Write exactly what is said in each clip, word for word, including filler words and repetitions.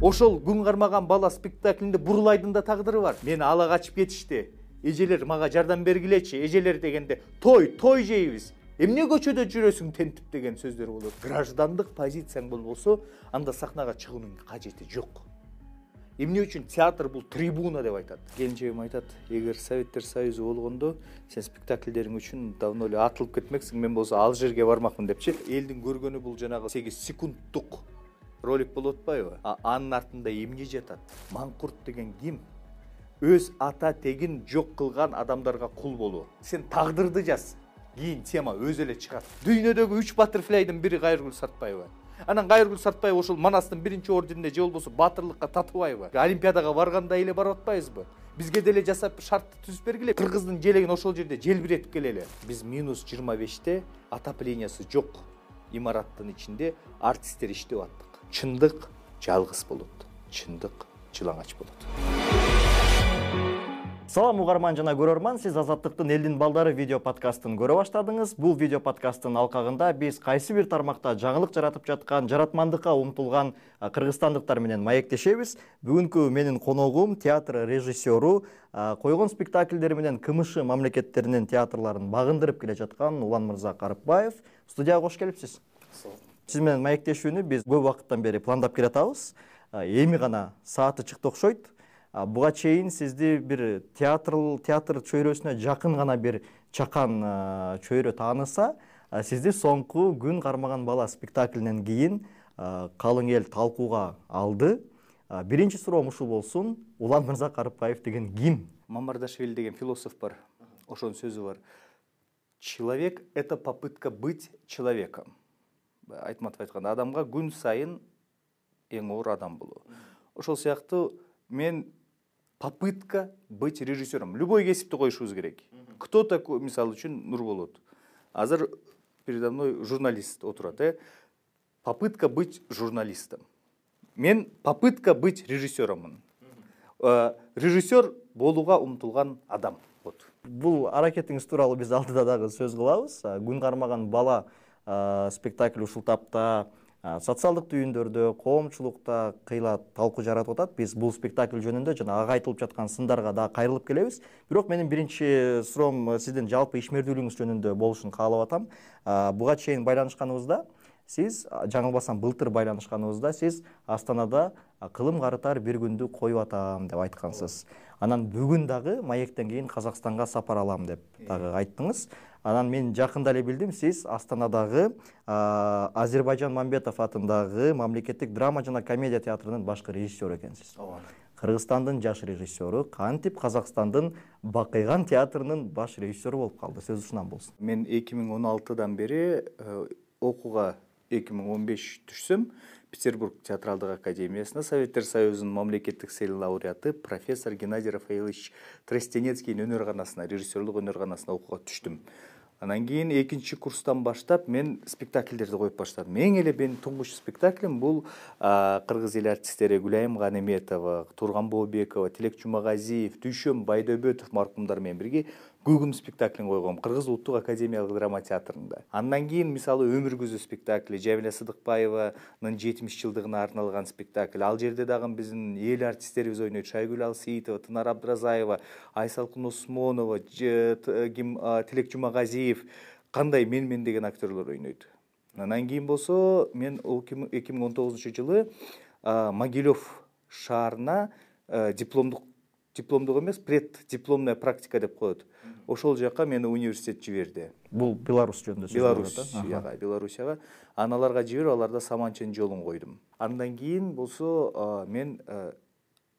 Ошол күн кармаган бала спектаклинде Бурлайдын да тагдыры бар. Мени ала качып кетишти. Эжелер мага жардам бергилечи. Эжелер дегенде той, той жейбиз. Эмне көчөдө жүрөсүң тентип деген сөздөр болот. Граждандык позицияң болбосо, анда сахнага чыгуунун кажети жок. Эмне үчүн театр бул трибуна деп айтат. Келинчегим айтат, эгер Советтер Союзу болгондо сен спектакльдериң үчүн давно эле атылып кетмексиң, мен болсо ал жерге бармакмын депчи. Элдин көргөнү бул жанагы сегиз секундтук ролик болуп атпайбы? Анын артында эмне жатат? Маңкурт деген ким? Өз ата тегин жок кылган адамдарга кул болуу. Сен тагдырды жаз. Кийин тема өзү эле чыгат. Дүйнөдөгү үч баттерфляйдын бири Кайыргүл Сартбаева. Анан Кайыргүл Сартбаева ошол Манастын биринчи орденине же болбосо батырлыкка татыбайбы? Олимпиадага барганда эле барып атпайбызбы? Бизге деле жасап шартты түзүп бергиле. Кыргыздын желегин ошол жерде желбиретип келели. Биз минус жыйырма беште отоплениясы жок имараттын ичинде артисттер иштеп аттык. Чындык жалгыз болот. Чындык жылаңач болот. Салам угарман жана көрөрман, сиз Азаттыктын Элдин балдары видео подкастын көрө баштадыңыз. Бул видео подкасттын алкагында биз кайсы бир тармакта жаңылык жаратып жаткан, жаратмандыкка умтулган кыргызстандыктар менен маектешебиз. Бүгүнкү менин коногум театр режиссеру, койгон спектакльдери менен КМШ мамлекеттеринин театрларын багындырып келе жаткан Уланмырза Карыпбаев. Студияга кош келипсиз. Сиз менен маектешүүнү биз көп убакыттан бери пландап келатабыз. Эми гана сааты чыкты окшойт. Буга чейин сизди бир театр театр чөйрөсүнө жакын гана бир чакан чөйрө тааныса, сизди соңку күн кармаган бала спектаклинен кийин калың эл талкууга алды. Биринчи суроом ушул болсун. Уланмырза Карыпбаев деген ким? Мамардашвили деген философ бар. Ошонун сөзү бар. Человек — это попытка быть человеком. Айтматов айткан, адамга күн сайын эң оор адам болуу. Ошол сыяктуу мен попытка быть режиссером. Любой кесипти коюшубуз керек. Кто такой, мисалы үчүн, Нурболот. Азыр передо мной журналист отурат, э? Попытка быть журналистом. Мен попытка быть режиссером. Режиссер болууга умтулган адам. Вот. Бул аракетиңиз тууралуу биз алдыда дагы сөз кылабыз. Күн кармаган бала спектакль ушул тапта социалдык түйүндөрдө, коомчулукта кыйла талкуу жаратып атат. Биз бул спектакль жөнүндө жана ага айтылып жаткан сындарга да кайрылып келебиз. Бирок менин биринчи суроом сиздин жалпы ишмердүүлүгүңүз жөнүндө болушун каалап атам. Буга чейин байланышканыбызда сиз, жаңылбасам былтыр байланышканыбызда сиз Астанада кылым карытар бир күндү коюп атам деп айткансыз. Анан бүгүн дагы маектен кийин Казакстанга сапар алам деп дагы айттыңыз. Анан мен жакында эле билдим, сиз Астанадагы Азербайжан Мамбетов атындагы мамлекеттик драма жана комедия театрынын башкы режиссеру экенсиз. Кыргызстандын жаш режиссеру, кантип Казакстандын Бакыйган театрынын баш режиссеру болуп калды. Сөз ушунан болсун. Мен эки миң он алтыдан бери окууга эки миң он беш түшсөм, Петербург театралдык академиясына Советтер Союзунун мамлекеттик сыйлык лауреаты профессор Геннадий Рафаилович Тростенецкийдин өнөр-канасына, режиссерлук өнөр-канасына окууга түштүм. Анан кийин экинчи курстан баштап мен спектакльдерди коюп баштадым. Эң эле менин туңгуч спектаклим бул кыргыз эл артисттери Гүлайым Ганеметова, Турган Бообекова, Тилек Жумагазиев, Дүйшөм Байдөбөтов маркумдар менен бирге Гүгүм спектаклин койгом Кыргыз улуттук академиялык драма театрында. Андан кийин мисалы Өмүр көзү спектакли, Жамиля Сыдыкбаеванын жетимиш жылдыгына арналган спектакль. Ал жерде дагы биздин эл артисттерибиз ойнойт. Шайгүл Алсеитова, Тынар Абдразаева, Айсалкын Осмонова, Тилек Жумагазиев, кандай мен-мен деген актерлор ойнойт. Андан кийин болсо мен эки миң он тогузунчу жылы Могилев шаарына дипломдук дипломдук эмес, преддипломная практика деп коет. Ошол жака мени университет жиберди. Бул Беларусь жөнүндө сөз Беларусь, яга, Белоруссияга. Аналарга жиберип, аларда Саманчынын жолун койдум. Андан кийин болсо мен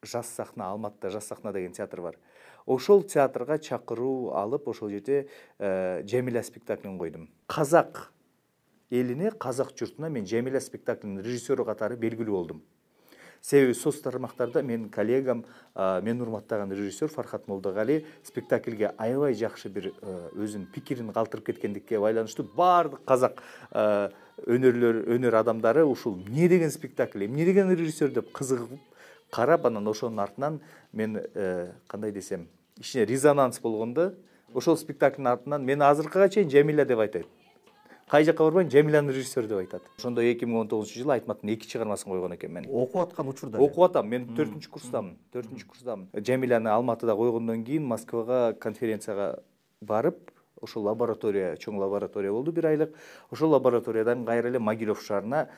Жас сахна, Алматыда Жас сахна деген театр бар. Ошол театрга чакыруу алып, ошол жерде Жамиля спектаклин койдум. Казак элине, казак журтуна мен Жамиля спектаклинин режиссеру катары белгилүү болдум. Себеби соц тармактарда менин коллегам, мен урматтаган режиссер Фархат Молдогали спектакльге аябай жакшы бир өзүнүн пикирин калтырып кеткендикке байланыштуу баардык казак өнөрлөр, өнөр адамдары ушул эмне деген спектакль, эмне деген режиссер деп кызыгып карап, анан ошонун артынан мен кандай десем, ичине резонанс болгондо, ошол спектаклдин артынан мен азыркыга чейин Жамиля деп айтайт. кай жакка барбайм, Жамиланы режиссер деп айтат. Ошондо эки миң он тогузунчу жылы Айтматтын эки чыгармасын койгон экенмин. Окуп аткан учурда окуп атам, мен төртүнчү курстамын, төртүнчү курстамын. Жамиланы Алматыда койгондон кийин Москвага конференцияга барып, ошол лаборатория, чоң лаборатория болду бир айлык. Ошол лабораториядан кайра эле Могилев шаарына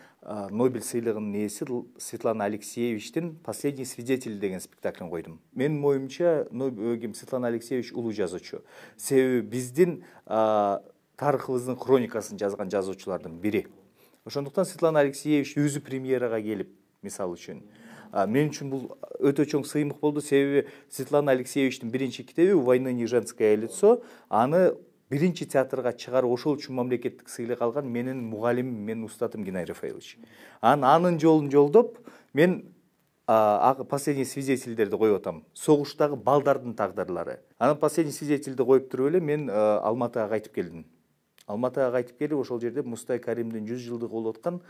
Нобель сыйлыгынын ээси Светлана Алексеевичтин «Последний свидетель» деген спектаклин койдум. Менин оюмча, Светлана Алексеевич улуу жазуучу. Себеби биздин тарыхыбыздын хроникасын жазган жазуучулардын бири. Ошондуктан Светлана Алексеевич өзү премьерага келип, мисалы үчүн, мен үчүн бул өтө чоң сыймык болду. Себеби Светлана Алексеевичтин биринчи китеби «Война не женское лицо», аны биринчи театрга чыгарып, ошол үчүн мамлекеттик сыйлык алган менин мугалимим, менин устатым Геннадий Рафаэлович. Анын жолун жолдоп, мен «Последний свидетельдерди» коюп атам. Согуштагы балдардын тагдырлары. Анан «Последний свидетельди» коюп туруп эле мен Алматыга кайтып келдим. Алматыга кайтып келип, ошол жерде Мустай Каримдин жүз жылдыгы болуп аткан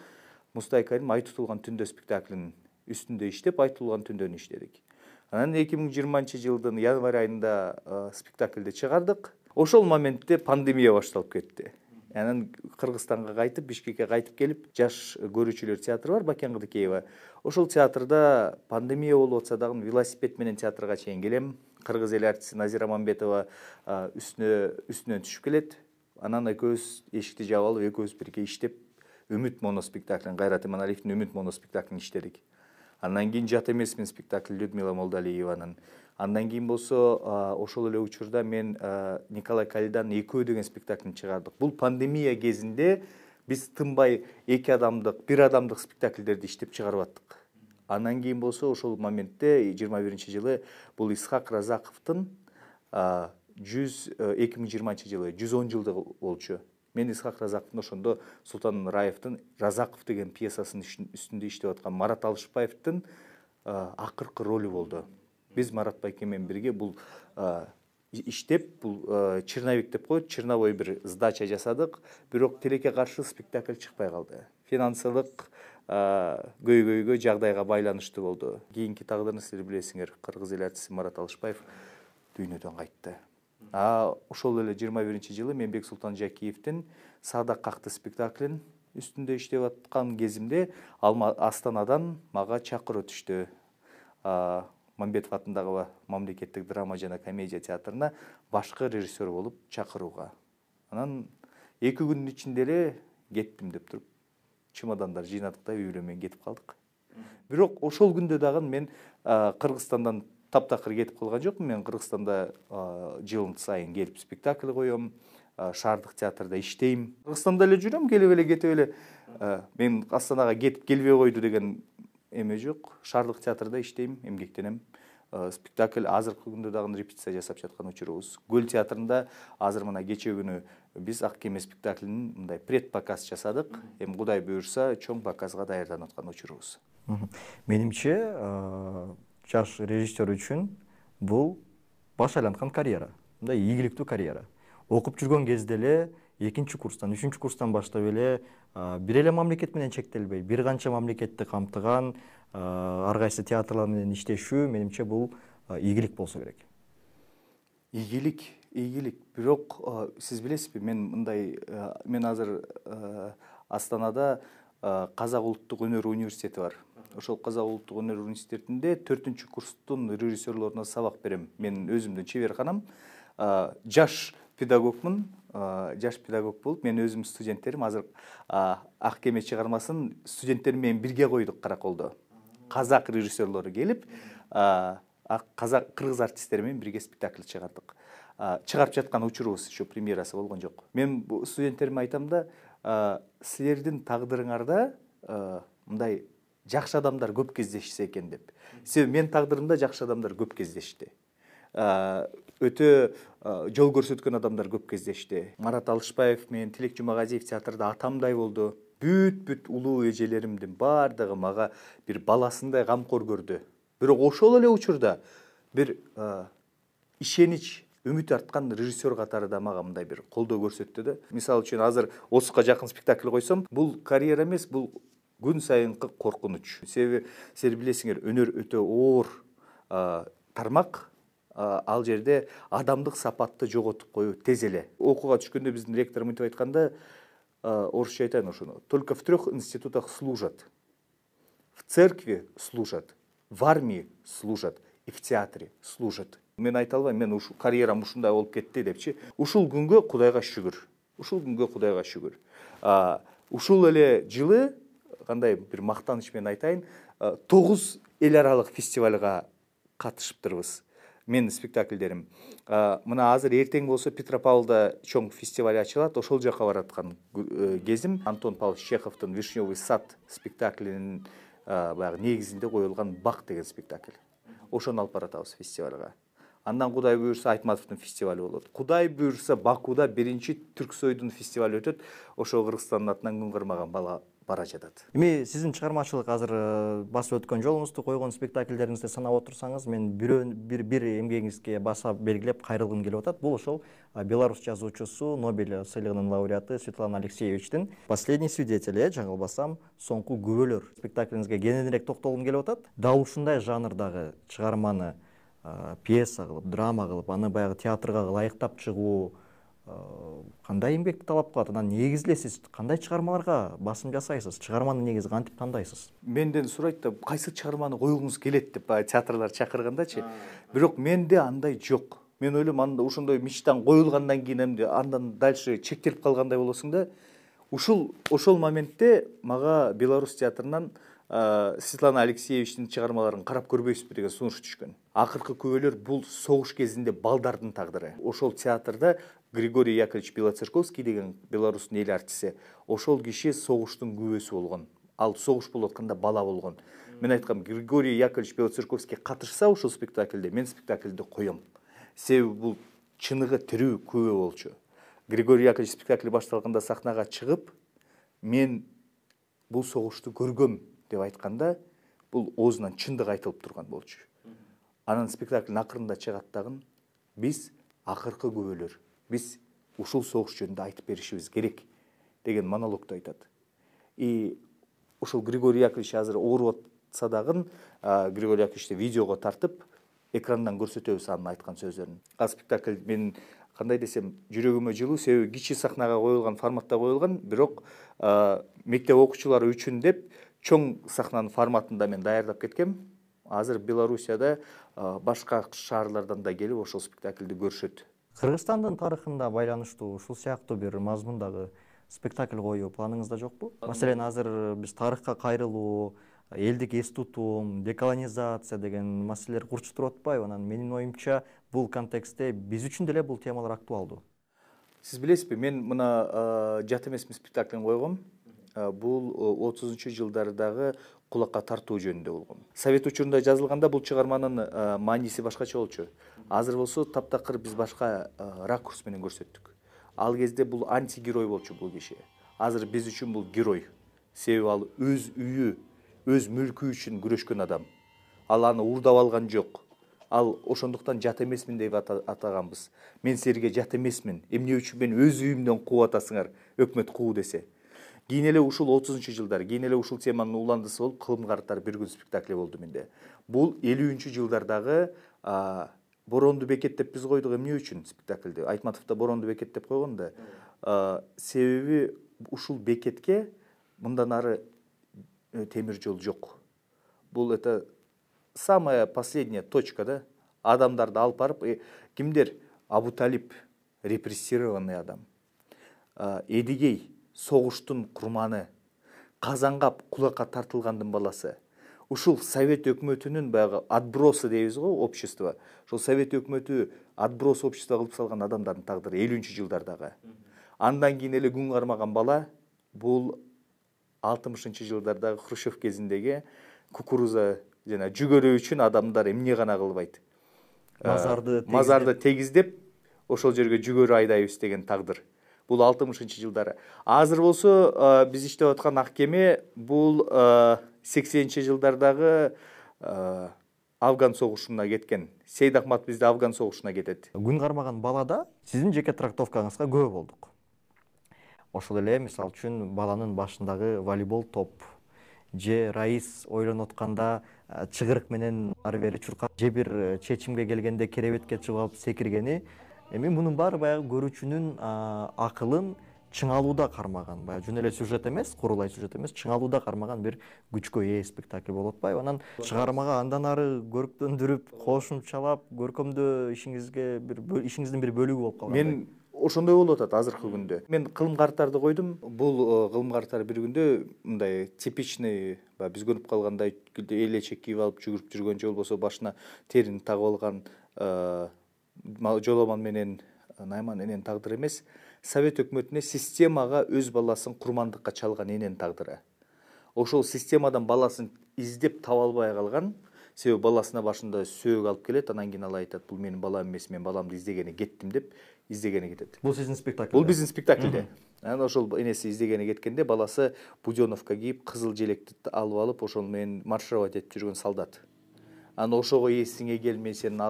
Мустай Карим «Ай тутулган түндө» спектаклинин үстүндө иштеп, «Ай тутулган түндөнү» иштедик. Анан эки миң жыйырманчы жылдын январь айында спектакльди чыгардык. Ошол моментте пандемия башталып кетти. Анан Кыргызстанга кайтып, Бишкекке кайтып келип, жаш көрүүчүлөр театры бар, Бакен Кыдыкеева. Ошол театрда пандемия болуп атса дагы велосипед менен театрга чейин келем. Кыргыз эл артисти Назира Мамбетова үстүнө үстүнөн түшүп келет. Анан экөөбүз эшикти жаап алып, экөөбүз бирге иштеп, Үмүт моноспектаклин, Кайрат Иманалиевдин Үмүт моноспектаклин иштедик. Андан кийин «Жат эмесмин» спектакли Людмила Молдалиеванын. Андан кийин болсо ошол эле учурда мен Николай Калиданын «Экөө» деген спектаклин чыгардык. Бул пандемия кезинде биз тынбай эки адамдык, бир адамдык спектакльдерди иштеп чыгарып аттык. Андан кийин болсо ошол моментте жыйырма биринчи жылы бул Исхак Разаковдун жүз эки миң жыйырманчы жылы жүз он жылдыгы болчу. Мен Исхак Разаковдун ошондо Султан Нураевдин «Разаков» деген пьесасынын үстүндө иштеп аткан Марат Алышбаевдин акыркы ролу болду. Биз Марат байке менен бирге бул иштеп, бул черновик деп коет, черновой бир сдача жасадык. Бирок тилекке каршы спектакль чыкпай калды. Финансылык көйгөйгө, жагдайга байланыштуу болду. Кийинки тагдырын силер билесиңер, Кыргыз эл артисти Марат Алышбаев дүйнөдөн кайтты. А ошол эле жыйырма биринчи жылы Менбек Султан Жакиевдин «Саадак какты» спектаклин үстүндө иштеп аткан кезимде Астанадан мага чакыруу түштү. Мамбетов атындагы мамлекеттик драма жана комедия театрына башкы режиссер болуп чакырууга. Анан эки күндүн ичинде эле кеттим деп туруп, чемодандар жыйнадык да үй бүлө менен кетип калдык. Бирок ошол күндө дагы мен Кыргызстандан таптакыр кетип калган жокмун. Мен Кыргызстанда жылын сайын келип спектакль коем, шаардык театрда иштейм. Кыргызстанда эле жүрөм, келип эле кетип эле. Мен Астанага кетип келбей койду деген эме жок. Шаардык театрда иштейм, эмгектенем. Спектакль азыркы күндө дагы репетиция жасап жаткан учурубуз. Көл театрында азыр мына кече күнү биз Ак кеме спектаклинин мындай предпоказ жасадык. Эми Кудай буйрса, чоң показга даярданып аткан учурубуз. Менимче, жаш режиссер үчүн бул баш айланткан карьера, мындай ийгиликтүү карьера. Окуп жүргөн кезде эле экинчи курстан, үчүнчү курстан баштап эле бир эле мамлекет менен чектелбей, бир канча мамлекетти камтыган ар кайсы театрлар менен иштешүү менимче бул ийгилик болсо керек. Ийгилик, ийгилик. Бирок сиз билесизби, мен мындай мен азыр Астанада Казак улуттук өнөр университети бар. Ошол Казак улуттук өнөр университетинде төртүнчү курстун режиссерлоруна сабак берем. Мен өзүмдүн чеберканам. Жаш педагогмун, жаш педагог болуп, мен өзүм студенттерим азыр Ак кеме чыгармасын студенттерим менен бирге койдук Караколдо. Казак режиссерлору келип, казак кыргыз артисттери менен бирге спектакль чыгардык. Чыгарып жаткан учурубуз, еще премьерасы болгон жок. Мен бу студенттериме айтам да, силердин тагдырыңарда мындай жакшы адамдар көп кездешсе экен деп. Себеби мен тагдырымда жакшы адамдар көп кездешти. Өтө жол көрсөткөн адамдар көп кездешти. Марат Алышбаев менен Тилек Жумагазиев театрда атамдай болду. Бүт-бүт улуу эжелеримдин бардыгы мага бир баласындай камкор көрдү. Бирок ошол эле учурда бир ишенич, үмүт арткан режиссер катары да мага мындай бир колдоо көрсөттү да. Мисалы үчүн азыр отузга жакын спектакль койсом, бул карьера эмес, бул күн сайынкы коркунуч. Себеби силер билесиңер, өнөр өтө оор тармак. Ал жерде адамдык сапатты жоготуп коюу тез эле. Окууга түшкөндө биздин ректор мынтип айтканда, орусча айтайын ошону. Только в трех институтах служат. В церкви служат, в армии служат и в театре служат. Мен айта албайм, мен ушул карьерам ушундай болуп кетти депчи. Ушул күнгө Кудайга шүгүр. Ушул күнгө Кудайга шүгүр. Ушул эле жылы кандай бир мактаныч менен айтайын, тогуз эл аралык фестивалга катышыптырбыз. Менин спектакльдерим. Мына азыр эртең болсо Петропавлда чоң фестиваль ачылат. Ошол жака бараткан кезим Антон Павлович Чеховдун Вишневый сад спектаклинин баягы негизинде коюлган Бак деген спектакль. Ошону алып баратабыз фестивалга. Андан Кудай буюрса Айтматовдун фестивали болот. Кудай буюрса Бакуда биринчи Түрксойдун фестивали өтөт. Ошо Кыргызстандын атынан күн кармаган бала бара жатат. Эми сиздин чыгармачылык азыр басып өткөн жолуңузду, койгон спектакльдериңизди санап отурсаңыз, мен бир бир бир эмгегиңизге баса белгилеп кайрылгым келип атат. Бул ошол белорус жазуучусу, Нобель сыйлыгынын лауреаты Светлана Алексеевичтин «Последний свидетель», э, жаңылбасам, соңку күбөлөр спектаклиңизге кененирээк токтолгум келип атат. Дал ушундай жанрдагы чыгарманы пьеса кылып, драма кылып, аны баягы театрга ылайыктап чыгуу кандай эмгекти талап кылат? Анан негизи эле сиз кандай чыгармаларга басым жасайсыз? Чыгарманы негизи кантип тандайсыз? Менден сурайт да, кайсы чыгарманы коюлгуңуз келет деп театрлар чакыргандачы. Бирок менде андай жок. Мен ойлойм, анда ошондой мечтаң коюлгандан кийин эмне андан дальше чектелип калгандай болосуң да. Ушул ошол моментте мага Беларусь театрынан Светлана Алексеевичтин чыгармаларын карап көрбөйсүзбү деген сунуш түшкөн. Акыркы күбөлөр бул согуш кезинде балдардын тагдыры. Ошол театрда Григорий Яковлевич Белоцерковский деген Беларустун эл артиси, ошол киши согуштун күбөсү болгон. Ал согуш болуп атканда бала болгон. Мен айткам, Григорий Яковлевич Белоцерковский катышса ушул спектакльде, мен спектакльди коем. Себеби бул чыныгы тирүү күбө болчу. Григорий Яковлевич спектакли башталганда сахнага чыгып, мен бул согушту көргөм деп айтканда, бул оозунан чындык айтылып турган болчу. Анан спектаклдин акырында чыгат дагы, биз акыркы күбөлөр, биз ушул согуш жөнүндө айтып беришибиз керек деген монологду айтат. И ушул Григорий Яковлевич азыр ооруп атса дагы, Григорий Яковлевичти видеого тартып, экрандан көрсөтөбүз анын айткан сөздөрүн. А спектакль менин кандай десем, жүрөгүмө жылуу, себеби кичи сахнага коюлган, форматта коюлган, бирок мектеп окуучулары үчүн деп чоң сахнанын форматында мен даярдап кеткем. Азыр Белоруссияда башка шаарлардан да келип ошол спектакльди көрүшөт. Кыргызстандын тарыхында байланыштуу ушул сыяктуу бир мазмундагы спектакль коюу планыңызда жокпу? Маселен, азыр биз тарыхка кайрылуу, элдик эс тутум, деколонизация деген маселелер курчуп туруп атпайбы? Анан менин оюмча бул контекстте биз үчүн деле бул темалар актуалдуу. Сиз билесизби, мен мына жат эмесмин спектаклин койгом. Бул отузунчу жылдардагы кулакка тартуу жөнүндө болгон. Совет учурунда жазылганда бул чыгарманын мааниси башкача болчу. Азыр болсо таптакыр биз башка ракурс менен көрсөттүк. Ал кезде бул антигерой болчу бул киши. Азыр биз үчүн бул герой. Себеби ал өз үйү, өз мүлкү үчүн күрөшкөн адам. Ал аны уурдап алган жок. Ал ошондуктан жат эмесмин деп атаганбыз. Мен силерге жат эмесмин. Эмне үчүн мен өз үйүмдөн кууп атасыңар, өкмөт куу десе. Кийин эле ушул отузунчу жылдар, кийин эле ушул теманын уландысы болуп, кылым карттар бир күн спектакли болду менде. Бул элүүнчү жылдардагы Боронду бекет деп биз койдук. Эмне үчүн спектакльди? Айтматовдо Боронду бекет деп койгон да. Себеби ушул бекетке мындан ары темир жол жок. Бул это самая последняя точка, да? Адамдарды алып барып, кимдер? Абу Талип репрессированный адам. Эдигей согуштун курманы, Казангап кулакка тартылгандын баласы. Ушул Совет өкмөтүнүн баягы отбросы дейбиз го, общество. Ошол Совет өкмөтү отброс общество кылып салган адамдардын тагдыры элүүнчү жылдардагы. Андан кийин эле күн кармаган бала бул алтымышынчы жылдардагы Хрущев кезиндеги кукуруза жана жүгөрү үчүн адамдар эмне гана кылбайт. Мазарды мазарды тегиздеп, ошол жерге жүгөрү айдайбыз деген тагдыр. Бул алтымышынчы жылдары. Азыр болсо биз иштеп аткан ак кеме бул сексенинчи жылдардагы Афган согушуна кеткен. Сейд Ахмат бизде Афган согушуна кетет. Күн кармаган балада сиздин жеке трактовкаңызга күбө болдук. Ошол эле мисалы үчүн баланын башындагы волейбол топ же Раис ойлонуп атканда чыгырык менен ары бери чуркап, же бир чечимге келгенде керебетке чыгып алып секиргени, эми мунун баары баягы көрүүчүнүн акылын чыңалууда кармаган, баягы жөн эле сюжет эмес, курулай сюжет эмес, чыңалууда кармаган бир күчкө ээ спектакль болуп атпайбы? Анан чыгармага андан ары көрктөндүрүп, кошумчалап, көркөмдөө ишиңизге бир ишиңиздин бир бөлүгү болуп калгандай. Мен ошондой болуп атат азыркы күндө. Мен кылым карттарды койдум. Бул кылым карттар бир күндө мындай типичный, биз көрүп калгандай элечек кийип алып жүгүрүп жүргөн же болбосо башына терин тагып алган Жоломан менен Найман эненин тагдыры эмес, Совет өкмөтүнө системага өз баласын курмандыкка чалган эненин тагдыры. Ошол системадан баласын издеп таба албай калган. Себеби баласына башында сөөгү алып келет, анан кийин ал айтат, бул менин балам эмес, мен баламды издегени кеттим деп издегени кетет. Бул сиздин спектакль? Бул биздин спектакльде. Анан ошол энеси издегени кеткенде баласы буденовка кийип, кызыл желекти алып алып, ошол менен маршировать этип жүргөн солдат. Анан ошого эсиңе кел, мен сенин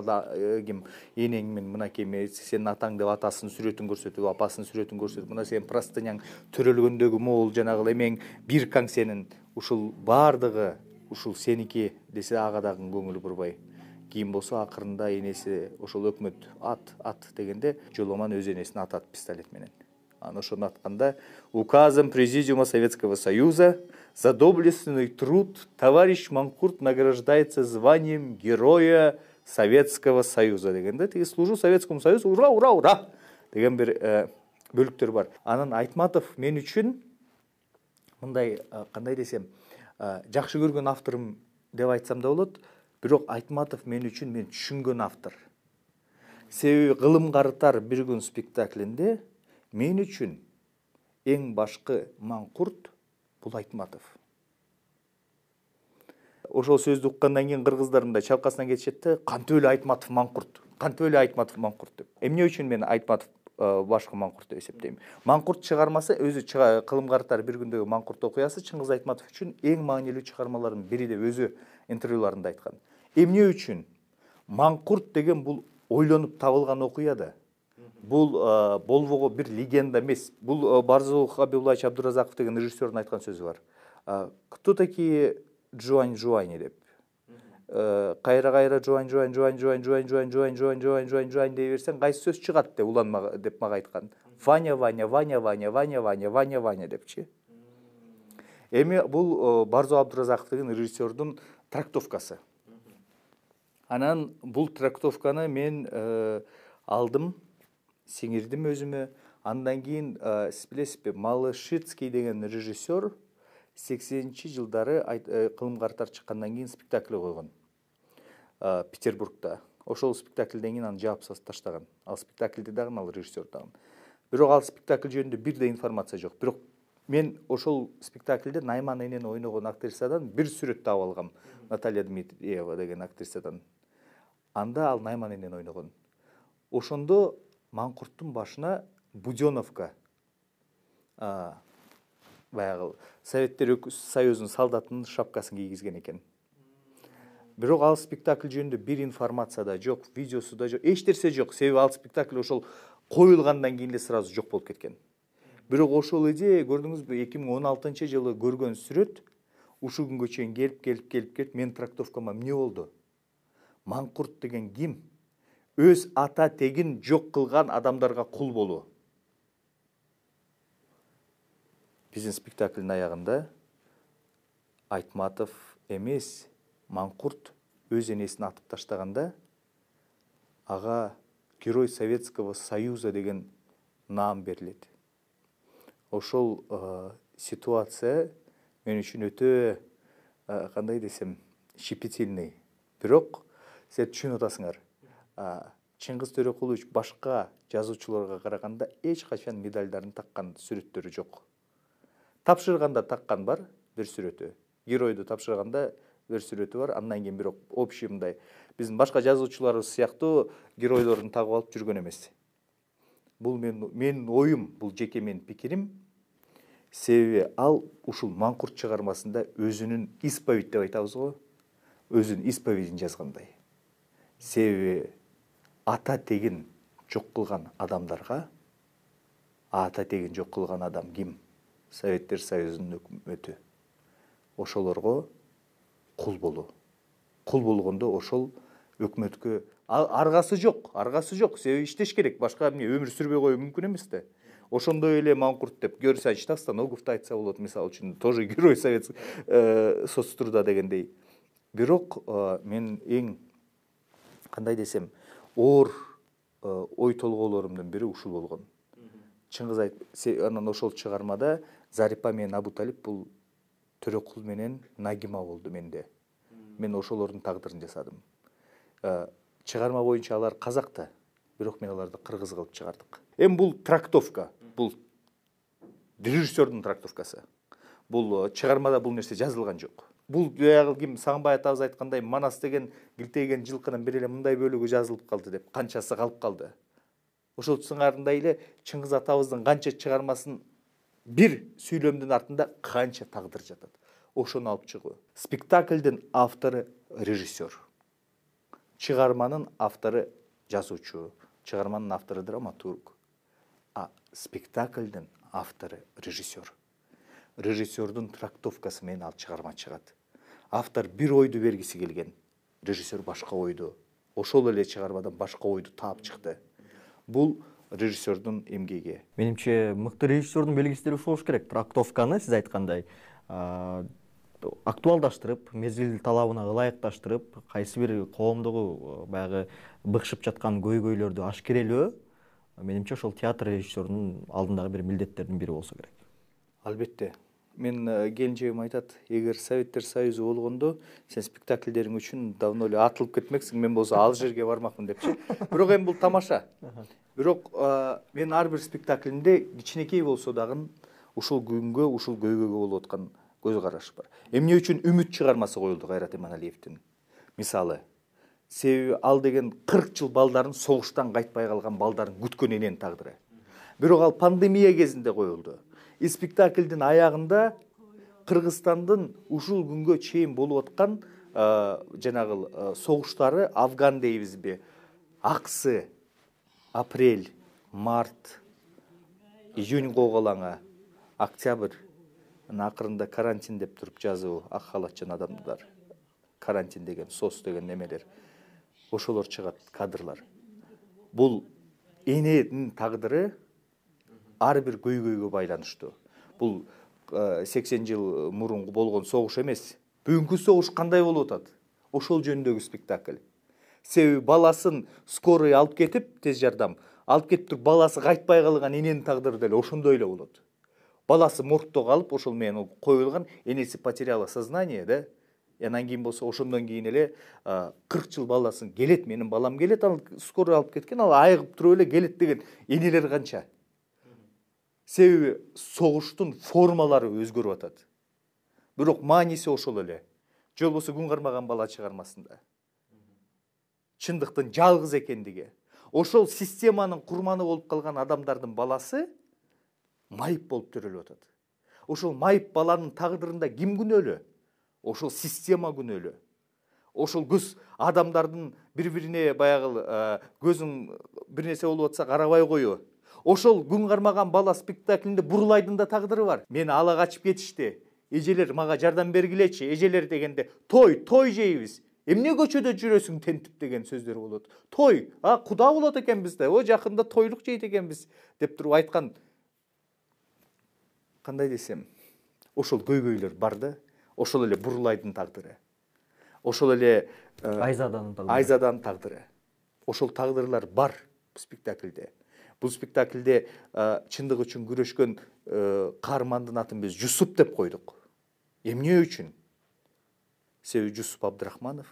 ким энеңмин, мынакей мен сенин атаң деп атасынын сүрөтүн көрсөтүп, апасынын сүрөтүн көрсөтүп, мына сенин простыняң төрөлгөндөгү могул жанагы эмең биркаң сенин, ушул баардыгы ушул сеники десе ага дагы көңүлү бурбай. Кийин болсо акырында энеси ошол өкмөт ат ат дегенде Жоломан өз энесин атат пистолет менен. Анан ошону атканда указом Президиума Советского Союза за доблестный труд товарищ Манкурт награждается званием Героя Советского Союза дегенде, тиги служу Советскому Союзу, ура, ура, ура деген бир бөлүктөр бар. Анан Айтматов мен үчүн мындай, кандай десем, жакшы көргөн авторум деп айтсам да болот, бирок Айтматов мен үчүн мен түшүнгөн автор. Себеби кылым карттар бир күн спектаклинде мен үчүн эң башкы Манкурт бул Айтматов. Ошол сөздү уккандан кийин кыргыздар мындай чалкасынан кетишет да, кантип эле Айтматов Манкурт, кантип эле Айтматов Манкурт деп. Эмне үчүн мен Айтматов башкы Манкурт деп эсептейм? Манкурт чыгармасы өзү кылым карттар бир күндөгү Манкурт окуясы Чыңгыз Айтматов үчүн эң маанилүү чыгармалардын бири деп өзү интервьюларында айткан. Эмне үчүн? Манкурт деген бул ойлонуп табылган окуя да. Бул болбого бир легенда эмес. Бул Барзул Хабибуллаевич Абдуразаков деген режиссердун айткан сөзү бар. Кто такие Жуань Жуань деп. Кайра-кайра Жуань Жуань Жуань Жуань Жуань Жуань Жуань Жуань Жуань Жуань Жуань дей берсең, кайсы сөз чыгат деп уланма деп мага айткан. Ваня Ваня Ваня Ваня Ваня Ваня Ваня Ваня депчи. Эми бул Барзул Абдуразаков деген режиссердун трактовкасы. Анан бул трактовканы мен алдым, сиңирдим өзүмө. Андан кийин билесизби, Малышицкий деген режиссер сексенинчи жылдары кылым карттар чыккандан кийин спектакль койгон Петербургда. Ошол спектакльден кийин аны жаап таштаган. Ал спектакльди дагы ал режиссер дагы. Бирок ал спектакль жөнүндө бир да информация жок. Бирок мен ошол спектакльде Найман энени ойногон актрисадан бир сүрөт таап алгам. Наталья Дмитриева деген актрисадан. Анда ал Найман энени ойногон. Ошондо Манкурттун башына буденовка, баягы Советтер Союзунун солдатынын шапкасын кийгизген экен. Бирок ал спектакль жөнүндө бир информация да жок, видеосу да жок, эч нерсе жок. Себеби ал спектакль ошол коюлгандан кийин эле сразу жок болуп кеткен. Бирок ошол идея, көрдүңүзбү, эки миң он алтынчы жылы көргөн сүрөт ушул күнгө чейин келип келип келип келип менин трактовкама эмне болду? Манкурт деген ким? Өз ата тегин жок кылган адамдарга кул болуу. Биздин спектаклдин аягында Айтматов эмес, Манкурт өз энесин атып таштаганда ага Герой Советского Союза деген наам берилет. Ошол ситуация мен үчүн өтө, кандай десем, щепетильный. Бирок сен түшүнүп атасыңар. Чыңгыз Төрөкулович башка жазуучуларга караганда эч качан медальдарын таккан сүрөттөрү жок. Тапшырганда таккан бар бир сүрөтү. Геройду тапшырганда бир сүрөтү бар. Андан кийин бирок общий мындай биздин башка жазуучуларыбыз сыяктуу геройдорун тагып алып жүргөн эмес. Бул мен менин оюм, бул жеке менин пикирим. Себеби ал ушул Манкурт чыгармасында өзүнүн исповедь деп айтабыз го, өзүнүн исповедин жазгандай. Себеби ата тегин жок кылган адамдарга, ата тегин жок кылган адам ким? Советтер Союзунун өкмөтү. Ошолорго кул болуу. Кул болгондо ошол өкмөткө аргасы жок, аргасы жок. Себеби иштеш керек, башка эмне өмүр сүрбөй коюу мүмкүн эмес да. ошондой эле маңкурт деп Георгий Александрович Станоговду айтса болот, мисалы үчүн, тоже герой советский соцтруда дегендей. Бирок мен эң кандай десем, оор ой толгоолорумдун бири ушул болгон. Чыңгыз айт, анан ошол чыгармада Зарипа менен Абуталип бул Төрөкул менен Нагима болду менде. Мен ошолордун тагдырын жасадым. Чыгарма боюнча алар казак да, бирок мен аларды кыргыз кылып чыгардык. Эми бул трактовка, бул режиссердун трактовкасы. Бул чыгармада бул нерсе жазылган жок. Бул баягы ким Сагынбай атабыз айткандай, Манас деген килтейген жылкынын бир эле мындай бөлүгү жазылып калды деп, канчасы калып калды. Ошол сыңарындай эле Чыңгыз атабыздын канча чыгармасын бир сүйлөмдүн артында канча тагдыр жатат. Ошону алып чыгуу. Спектаклдин автору режиссер. Чыгарманын автору жазуучу, чыгарманын автору драматург. А спектаклдин автору режиссер. Режиссердун трактовкасы менен ал чыгарма чыгат. Автор бир ойду бергиси келген, режиссер башка ойду. Ошол эле чыгармадан башка ойду таап чыкты. Бул режиссердун эмгеги. Менимче мыкты режиссердун белгисиdir ушул болуш керек. Трактовканы сиз айткандай актуалдаштырып, мезгил талабына ылайыкташтырып, кайсы бир коомдогу баягы быкшып жаткан көйгөйлөрдү ашкерелөө, менимче ошол театр режиссерунун алдындагы бир милдеттердин бири болсо керек. Албетте. Мен келинчегим айтат, эгер Советтер Союзу болгондо сен спектакльдериң үчүн давно эле атылып кетмексиң, мен болсо ал жерге бармакмын депчи. Бирок эми бул тамаша. Бирок мен ар бир спектаклимде кичинекей болсо дагы ушул күнгө, ушул көйгөйгө болуп аткан көз караш бар. Эмне үчүн Үмүт чыгармасы коюлду Кайрат Эманалиевдин? Мисалы, себеби ал деген кырк жыл балдарын, согуштан кайтпай калган балдарын күткөн эненин тагдыры. Бирок ал пандемия кезинде коюлду. И спектаклдин аягында Кыргызстандын ушул күнгө чейин болуп аткан жанагы согуштары, Афган дейбизби, Аксы, Апрель, Март, Июнь коголаңы, Октябрь, акырында карантин деп туруп жазуу, ак халатчан адамдар, карантин деген, сос деген немелер. Ошолор чыгат, кадрлар. Бул эненин тагдыры ар бир көйгөйгө байланыштуу. Бул сексен жыл мурун болгон согуш эмес. Бүгүнкү согуш кандай болуп атат? Ошол жөнүндөгү спектакль. Себеби баласын скорый алып кетип, тез жардам алып кетип туруп, баласы кайтпай калган эненин тагдыры деле ошондой эле болот. Баласы моргто калып, ошол менен коюлган, энеси потеряла сознание, да? Анан кийин болсо ошондон кийин эле кырк жыл баласын келет, менин балам келет, ал скорый алып кеткен, ал айыгып туруп эле келет деген энелер канча. Себеби согуштун формалары өзгөрүп атат. Бирок мааниси ошол эле. Же болбосо Күн кармаган бала чыгармасында. Чындыктын жалгыз экендиги. Ошол системанын курманы болуп калган адамдардын баласы майып болуп төрөлүп атат. Ошол майып баланын тагдырында ким күнөөлүү? Ошол система күнөөлүү. Ошол көз адамдардын бири-бирине баягы көзүн бир нерсе болуп атса карабай коюу. Ошол Күн кармаган бала спектаклинде Бурлайдын да тагдыры бар. Мени ала качып кетишти. Эжелер мага жардам бергилечи. Эжелер дегенде той, той жейбиз. Эмне көчөдө жүрөсүң тентип деген сөздөр болот. Той, а куда болот экенбиз да, о жакында тойлук жейт экенбиз деп туруп айткан. Кандай десем, ошол көйгөйлөр бар да. Ошол эле Бурлайдын тагдыры. Ошол эле Айзаданын тагдыры. Айзаданын тагдыры. Ошол тагдырлар бар спектакльде. Бул спектакльде чындык үчүн күрөшкөн каармандын атын биз Жусуп деп койдук. Эмне үчүн? Себеби Жусуп Абдрахманов.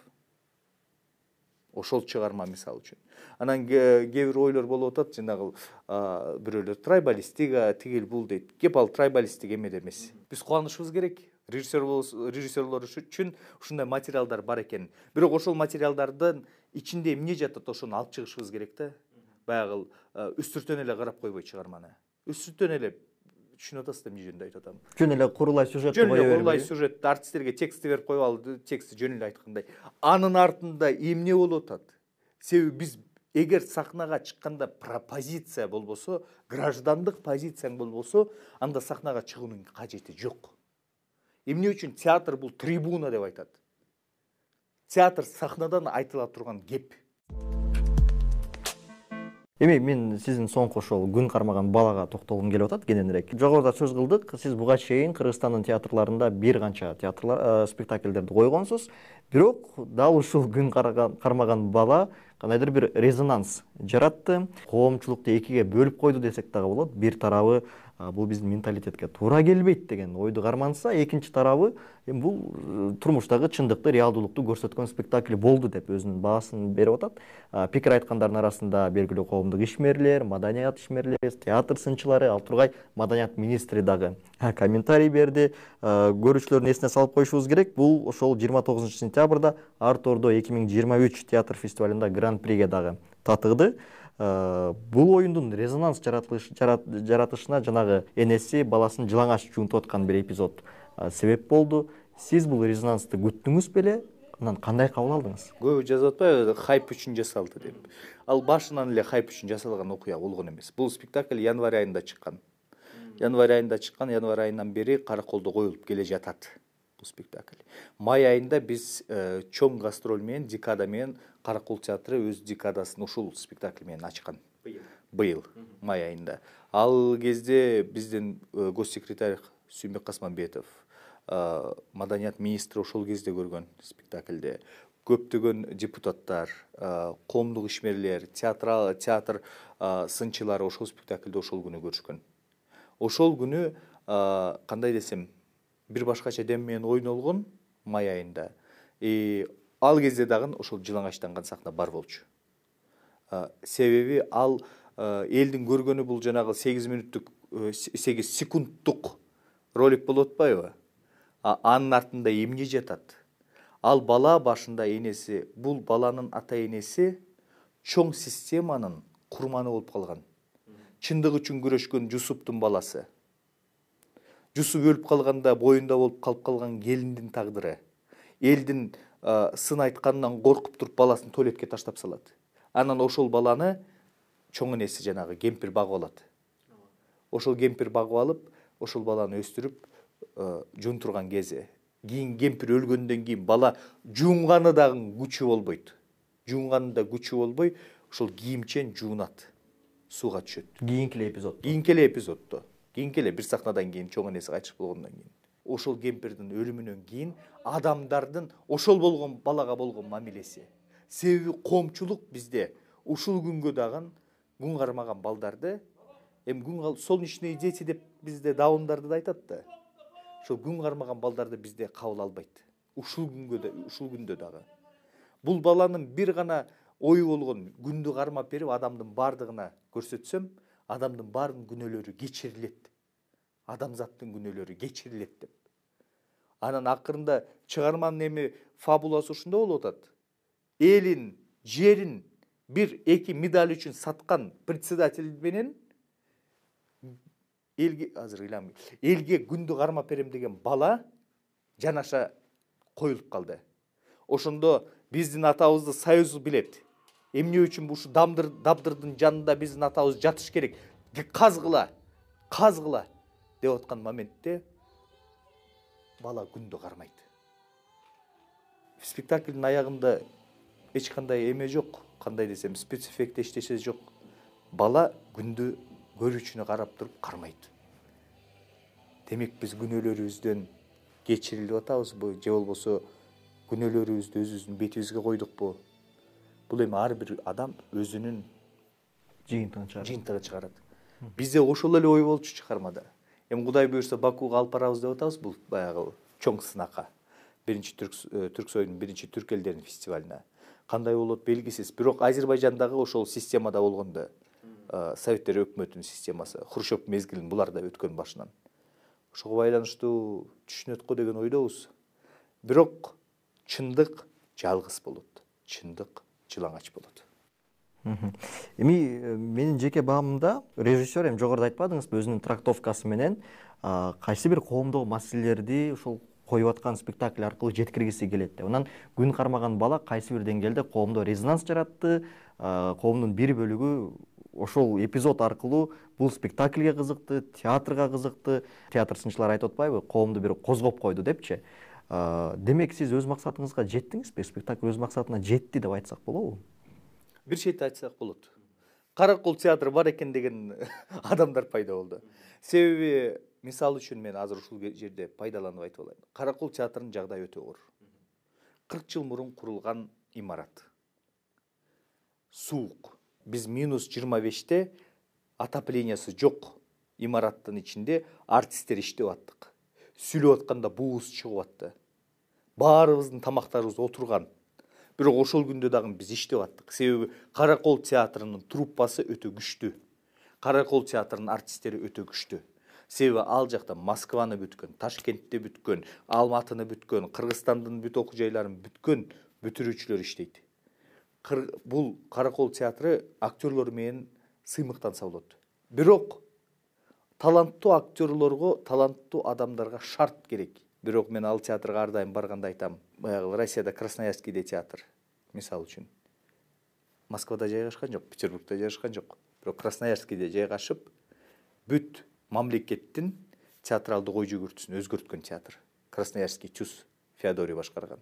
Ошол чыгарма мисалы үчүн. Анан кээ бир ойлор болуп атат, жанагы бирөөлөр трайбалистика, тигил бул дейт. Кеп ал трайбалистик эмеде эмес. Биз кубанышыбыз керек. Режиссер режиссерлор үчүн ушундай материалдар бар экен. Бирок ошол материалдардын ичинде эмне жатат, ошону алып чыгышыбыз керек да. Баягы үстүртөн эле карап койбой чыгарманы. Үстүртөн эле түшүнүп атасыз да, эмне жөнүндө айтып атам. Жөн эле курулай сюжетти кое бербей. Жөн эле курулай сюжетти артисттерге текстти берип коюп алды, тексти жөн эле айткандай. Анын артында эмне болуп атат? Себеби биз эгер сахнага чыкканда пропозиция болбосо, граждандык позицияң болбосо, анда сахнага чыгуунун кажети жок. Эмне үчүн театр бул трибуна деп айтат? Театр сахнадан айтыла турган кеп. Эми мен сиздин соңку ошол күн кармаган балага токтолгум келип атат кененирээк. Жогоруда сөз кылдык, сиз буга чейин Кыргызстандын театрларында бир канча театрлар спектакльдерди койгонсуз, бирок дал ушул күн кармаган бала кандайдыр бир резонанс жаратты, коомчулукту экиге бөлүп койду десек дагы болот. Бир тарабы бул биздин менталитетке туура келбейт деген ойду карманса, экинчи тарабы эми бул турмуштагы чындыкты, реалдуулукту көрсөткөн спектакль болду деп өзүнүн баасын берип атат. Пикир айткандардын арасында белгилүү коомдук ишмерлер, маданият ишмерлери, театр сынчылары, ал тургай маданият министри дагы комментарий берди. Көрүүчүлөрдүн эсине салып коюшубуз керек, бул ошол жыйырма тогузунчу сентябрда Арт Ордо эки миң жыйырма үч театр фестивалында гран-приге дагы татыгды. Бул оюндун резонанс жаратышына жанагы энеси баласын жылаңач жуунтуп аткан бир эпизод себеп болду. Сиз бул резонансты күттүңүз беле? Анан кандай кабыл алдыңыз? Көбү жазып атпайбы, хайп үчүн жасалды деп. Ал башынан эле хайп үчүн жасалган окуя болгон эмес. Бул спектакль январь айында чыккан. Январь айында чыккан, январь айынан бери Караколдо коюлуп келе жатат бул спектакль. Май айында биз чоң гастроль менен, декада менен Каракол театры өз декадасын ушул спектакль менен ачкан. Быйыл май айында. Ал кезде биздин госсекретарь Сүймбек Касманбетов, маданият министри ошол кезде көргөн спектакльде. Көптөгөн депутаттар, коомдук ишмерлер, театр театр сынчылары ошол спектакльде ошол күнү көрүшкөн. Ошол күнү кандай десем, бир башкача дем менен ойнолгон май айында. И ал кезде дагы ошол жылаңачтанган сахна бар болчу. Себеби ал элдин көргөнү бул жанагы сегиз мүнөттүк, сегиз секундтук ролик болуп атпайбы? Анын артында эмне жатат? Ал бала башында энеси, бул баланын ата энеси чоң системанын курманы болуп калган. Чындык үчүн күрөшкөн Жусуптун баласы. Жусуп өлүп калганда боюнда болуп калып калган келиндин тагдыры. Элдин сын айтканынан коркуп туруп баласын туалетке таштап салат. Анан ошол баланы чоң энеси жанагы кемпир багып алат. Ошол кемпир багып алып, ошол баланы өстүрүп жуунтурган кези. Кийин кемпир өлгөндөн кийин бала жуунганы дагы күчү болбойт. Жуунганы да күчү болбой, ошол кийимчен жуунат. Сууга түшөт. Кийинки эле эпизод. Кийинки эле эпизоддо. Кийинки эле бир сахнадан кийин чоң энеси кайтыш болгондон кийин. Ошол кемпирдин өлүмүнөн кийин адамдардын ошол болгон балага болгон мамилеси. Себеби коомчулук бизде ушул күнгө дагы күн кармаган балдарды, эми күн солнечные дети деп бизде даундарды да айтат да. Ошол күн кармаган балдарды бизде кабыл албайт. Ушул күнгө да, ушул күндө дагы. Бул баланын бир гана ою болгон, күндү кармап берип адамдын бардыгына көрсөтсөм, адамдын бардын күнөөлөрү кечирилет. Адамзаттын күнөөлөрү кечирилет деп. Анан акырында чыгарманын эми фабуласы ушунда болуп атат. Элин, жерин бир эки медаль үчүн саткан председатель менен элге азыр ыйлам элге күндү кармап берем деген бала жанаша коюлуп калды. Ошондо биздин атабызды союз билет. Эмне үчүн ушу дамдыр дабдырдын жанында биздин атабыз жатыш керек? Казгыла, казгыла деп аткан моментте бала күндү кармайт. Спектаклдин аягында эч кандай эме жок, кандай десем, спецэффект эчтеше жок. Бала күндү көрүүчүнө карап туруп кармайт. Демек биз күнөөлөрүбүздөн кечирилип атабызбы, же болбосо күнөөлөрүбүздү өзүбүздүн бетибизге койдукпу? Бул эми ар бир адам өзүнүн жыйынтыгын чыгарат. Жыйынтыгын чыгарат. Бизде ошол эле ой болчу чыгармада. Эми Кудай буюрса Бакууга алып барабыз деп атабыз, бул баягы чоң сынака. Биринчи Түрксойдун биринчи түрк элдеринин фестивалына. Кандай болот белгисиз. Бирок Азербайжандагы ошол системада болгондо, Советтер өкмөтүнүн системасы, Хрущев мезгилин булар да өткөн башынан. Ошого байланыштуу түшүнөт го деген ойдобуз. Бирок чындык жалгыз болот. Чындык жылаңач болот. Эми менин жеке баамымда режиссер эми жогоруда айтпадыңызбы, өзүнүн трактовкасы менен кайсы бир коомдогу маселелерди ушул коюп аткан спектакль аркылуу жеткиргиси келет деп. Анан күн кармаган бала кайсы бир деңгээлде коомдо резонанс жаратты, коомдун бир бөлүгү ошол эпизод аркылуу бул спектакльге кызыкты, театрга кызыкты. Театр сынчылары айтып атпайбы, коомду бир козгоп койду депчи. Демек сиз өз максатыңызга жеттиңизби? Спектакль өз максатына жетти деп айтсак болобу? Бир чети айтсак болот. Каракол театры бар экен деген адамдар пайда болду. Себеби мисалы үчүн мен азыр ушул жерде пайдаланып айтып алайын. Каракол театрынын жагдайы өтө оор. кырк жыл мурун курулган имарат. Суук. Биз минус жыйырма беште отоплениясы жок имараттын ичинде артисттер иштеп аттык. Сүйлөп атканда буубуз чыгып атты. Баарыбыздын тамактарыбыз отурган. Бирок ошол күндө дагы биз иштеп аттык. Себеби Каракол театрынын труппасы өтө күчтүү. Каракол театрынын артисттери өтө күчтүү. Себеби ал жакта Москваны бүткөн, Ташкентти бүткөн, Алматыны бүткөн, Кыргызстандын бүт окуу жайларын бүткөн бүтүрүүчүлөр иштейт. Бул Каракол театры актерлор менен сыймыктанса болот. Бирок таланттуу актерлорго, таланттуу адамдарга шарт керек. Бирок мен ал театрга ар дайым барганда айтам, баягы Россияда Красноярскийде театр, мисалы үчүн. Москвада жайгашкан жок, Петербургда жайгашкан жок. Бирок Красноярскийде жайгашып, бүт мамлекеттин театралдык ой жүгүртүүсүн өзгөрткөн театр. Красноярский ЧУС Феодорий башкарган.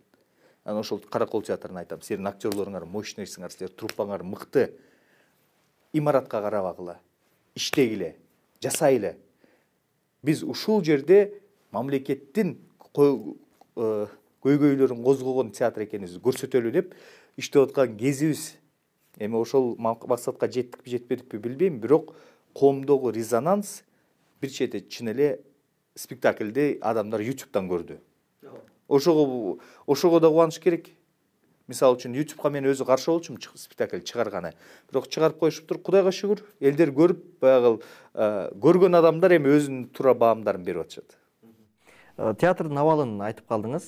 Анан ошол Каракол театрын айтам, силердин актерлоруңар мощныйсыңар, силер труппаңар мыкты. Имаратка карабагыла, иштегиле, жасайлы. Биз ушул жерде мамлекеттин көйгөйлөрүн козгогон театр экенибизди көрсөтөлү деп иштеп аткан кезибиз. Эми ошол максатка жеттикпи, жетпедикпи билбейм, бирок коомдогу резонанс бир чети чын эле спектакльди адамдар ютубтан көрдү. Ошого ошого да кубаныш керек. Мисалы үчүн ютубка мен өзү каршы болчумун спектакль чыгарганы. Бирок чыгарып коюшуптур, Кудайга шүгүр, элдер көрүп, баягы көргөн адамдар эми өзүнүн туура баамдарын берип атышат. Театрдын абалын айтып калдыңыз.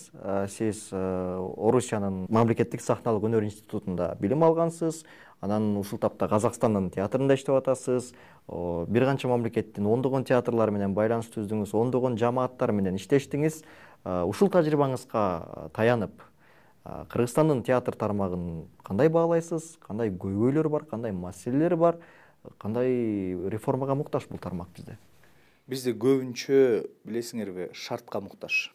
Сиз Орусиянын мамлекеттик сахналык өнөр институтунда билим алгансыз. Анан ушул тапта Казакстандын театрында иштеп атасыз. Бир канча мамлекеттин ондогон театрлары менен байланыш түздүңүз, ондогон жамааттар менен иштештиңиз. Ушул тажрыйбаңызга таянып, Кыргызстандын театр тармагын кандай баалайсыз? Кандай көйгөйлөр бар, кандай маселелер бар? Кандай реформага муктаж бул тармак бизде? Бизде көбүнчө, билесиңерби, шартка муктаж.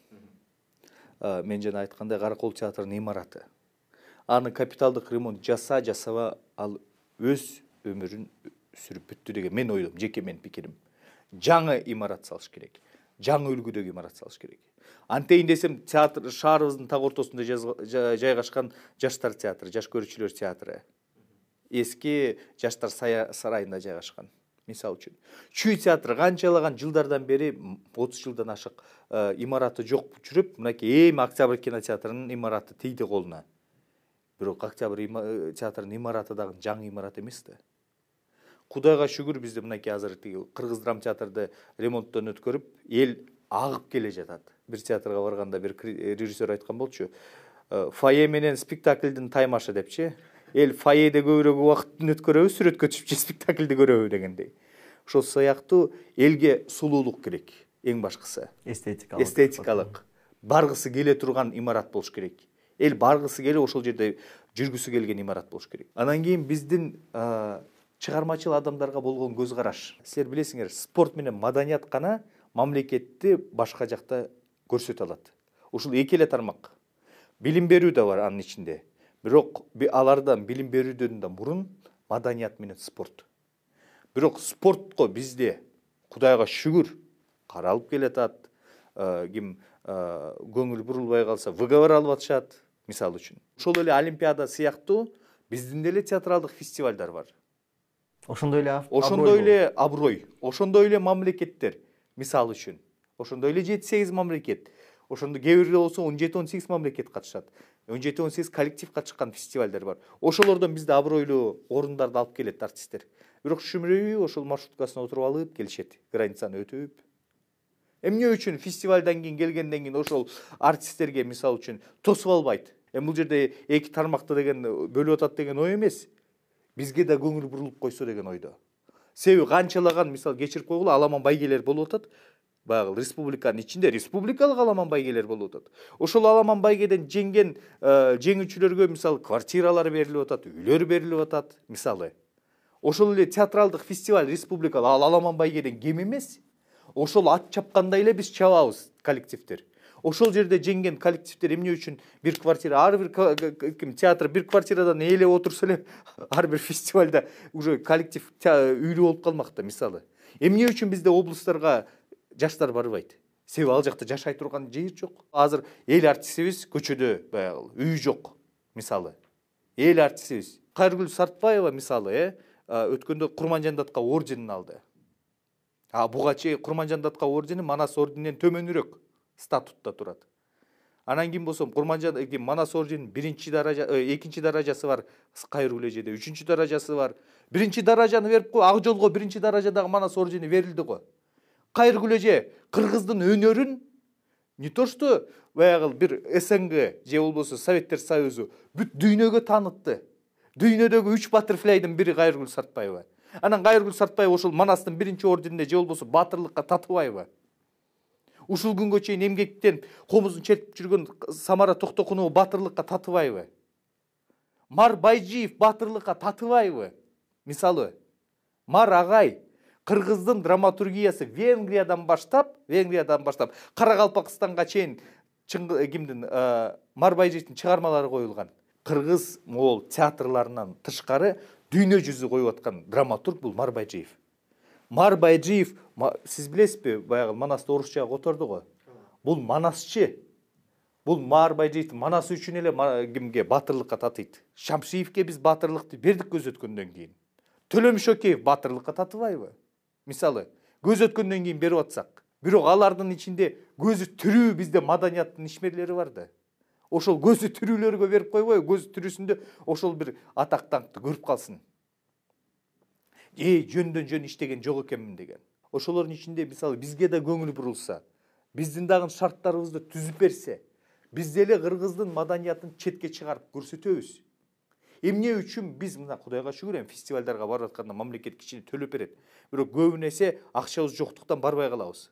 Мен жана айткандай Каракол театрынын имараты. Аны капиталдык ремонт жаса, жасаба, ал өз өмүрүн сүрүп бүттү деген мен ойлойм, жеке менин пикирим. Жаңы имарат салыш керек. Жаңы үлгүдөгү имарат салыш керек. Антейин десем, театр шаарыбыздын так ортосунда жайгашкан Жаштар театры, жаш көрүүчүлөр театры. Эски Жаштар сарайында жайгашкан. Мисалы үчүн. Чүй театры канчалаган жылдардан бери, отуз жылдан ашык имараты жок жүрүп, мынакей эми Октябрь кинотеатрынын имараты тийди колуна. Бирок Октябрь театрынын имараты дагы жаңы имарат эмес да. Кудайга шүгүр, бизде мынакей азыр Кыргыз драм театрды ремонттон өткөрүп, эл агып келе жатат. Бир театрга барганда бир режиссер айткан болчу. Фойе менен спектаклдин таймашы депчи. Эл фойеде көбүрөөк убакытын өткөрөбү, сүрөткө түшүп же спектаклди көрөбү дегендей. Ошол сыяктуу элге сулуулук керек, эң башкысы. Эстетикалык. Эстетикалык. Баргысы келе турган имарат болуш керек. Эл баргысы келип ошол жерде жүргүсү келген имарат болуш керек. Анан кийин биздин чыгармачыл адамдарга болгон көз караш. Силер билесиңер, спорт менен маданият гана мамлекетти башка жакта көрсөтө алат. Ушул эки эле тармак. Билим берүү да бар анын ичинде. Бирок алардан билим берүүдөн да мурун маданият менен спорт. Бирок спортко бизде Кудайга шүгүр каралып келатат. Ким көңүл бурулбай калса выговор алып атышат, мисалы үчүн. Ошол эле Олимпиада сыяктуу биздин деле театралдык фестивалдар бар. Ошондой эле ошондой эле аброй, ошондой эле мамлекеттер, мисалы үчүн. Ошондой эле жети сегиз мамлекет. Ошондо кээ бирде болсо он жети он сегиз мамлекет катышат. он жети он сегиз коллектив катышкан фестивалдар бар. Ошолордон бизде абройлуу орундарды алып келет артисттер. Бирок шүмүрөй ошол маршруткасына отуруп алып келишет, границаны өтүп. Эмне үчүн фестивалдан кийин келгенден кийин ошол артисттерге мисалы үчүн тосуп албайт? Эми бул жерде эки тармакты деген бөлүп атат деген ой эмес. Бизге да көңүл бурулуп койсо деген ойдо. Себеби канчалаган мисалы кечирип койгула аламан байгелер болуп атат. Баягы республиканын ичинде республикалык аламан байгелер болуп атат. Ошол аламан байгеден жеңген жеңүүчүлөргө мисалы квартиралар берилип атат, үйлөр берилип атат, мисалы. Ошол эле театралдык фестиваль республикалык ал аламан байгеден кем эмес. Ошол ат чапкандай эле биз чабабыз коллективдер. Ошол жерде жеңген коллективдер эмне үчүн бир квартира, ар бир ким театр бир квартирадан ээлеп отурса эле ар бир фестивалда уже коллектив үйлүү болуп калмак да. Мисалы, эмне үчүн бизде облустарга жаштар барбайт? Себеби ал жакта жашай турган жер жок. Азыр эл артистибиз көчөдө баягы үй жок. Мисалы, эл артистибиз Кайргүл Сартбаева мисалы, э өткөндө Курманжандатка орденин алды. А буга чейин Курманжандатка ордени Манас орденинен төмөнүрөөк статутта турат. Анан ким болсо Курманжан Манас орденинин биринчи даража, экинчи даражасы бар Кайргүл эжеде, үчүнчү даражасы бар. Биринчи даражаны берип кой, Ак жолго биринчи даражадагы Манас ордени берилди го. Кайргүл эже кыргыздын өнөрүн не то что баягы бир СНГ же болбосо Советтер Союзу бүт дүйнөгө таанытты. Дүйнөдөгү үч баттерфляйдын бири Кайргүл Сартбаева. Анан Кайргүл Сартбаева ошол Манастын биринчи орденине же болбосо батырлыкка татыбайбы? Ушул күнгө чейин эмгектен комузун чертип жүргөн Самара Токтокунова батырлыкка татыбайбы? Мар Байжиев батырлыкка татыбайбы? Мисалы, Мар агай кыргыздын драматургиясы Венгриядан баштап, Венгриядан баштап Каракалпакстанга чейин кимдин Мар Байжиевдин чыгармалары коюлган. Кыргыз моол театрларынан тышкары дүйнө жүзү коюп аткан драматург бул Мар Байжиев. Мар Байжиев, сиз билесизби, баягы Манасты орусчага которду го. Бул манасчы. Бул Мар Байжиев Манасы үчүн эле кимге батырлыкка татыйт. Шамшиевке биз батырлыкты бердик көз өткөндөн кийин. Төлөм Шөкеев батырлыкка татыбайбы? Мисалы, көз өткөндөн кийин берип атсак, бирок алардын ичинде көзү түрүү бизде маданияттын ишмерлери бар да. Ошол көзү түрүүлөргө берип койбой, көз түрүсүндө ошол бир атак даңкты көрүп калсын. Эй, жөндөн жөн иштеген жок экенмин деген. Ошолордун ичинде мисалы бизге да көңүл бурулса, биздин дагы шарттарыбызды түзүп берсе, биз деле кыргыздын маданиятын четке чыгарып көрсөтөбүз. Эмне үчүн биз мына Кудайга шүгүр эми фестивалдарга барып атканда мамлекет кичине төлөп берет. Бирок көбүн эсе акчабыз жоктуктан барбай калабыз.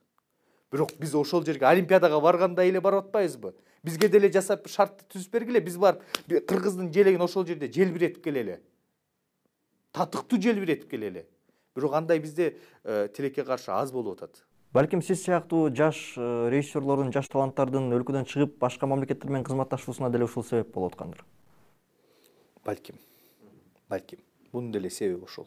Бирок биз ошол жерге Олимпиадага барганда эле барып атпайбызбы? Бизге деле жасап шартты түзүп бергиле, биз барып кыргыздын желегин ошол жерде желбиретип келели. Татыктуу желбиретип келели. Бирок андай бизде тилекке каршы аз болуп атат. Балким сиз сыяктуу жаш режиссерлордун, жаш таланттардын өлкөдөн чыгып башка мамлекеттер менен кызматташуусуна деле ушул себеп болуп аткандыр. Балким. Балким. Бунун деле себеби ошол.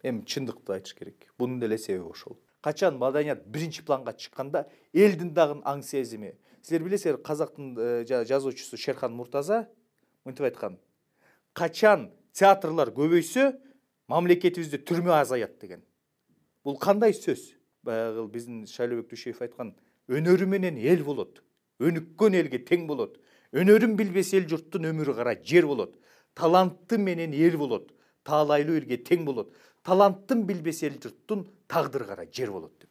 Эми чындыкты айтыш керек. Бунун деле себеби ошол. Качан маданият биринчи планга чыкканда элдин дагы аң сезими. Силер билесиздер, казактын жазуучусу Шерхан Муртаза мынтип айткан. Качан театрлар көбөйсө, мамлекетибизде түрмө азаят деген. Бул кандай сөз? Баягы биздин Шайлообек Дүйшөев айткан, өнөрү менен эл болот. Өнүккөн элге тең болот. Өнөрүн билбес эл журттун өмүрү кара жер болот. Таланты менен эл болот. Таалайлуу элге тең болот. Таланттын билбес эл журттун тагдыры кара жер болот деп.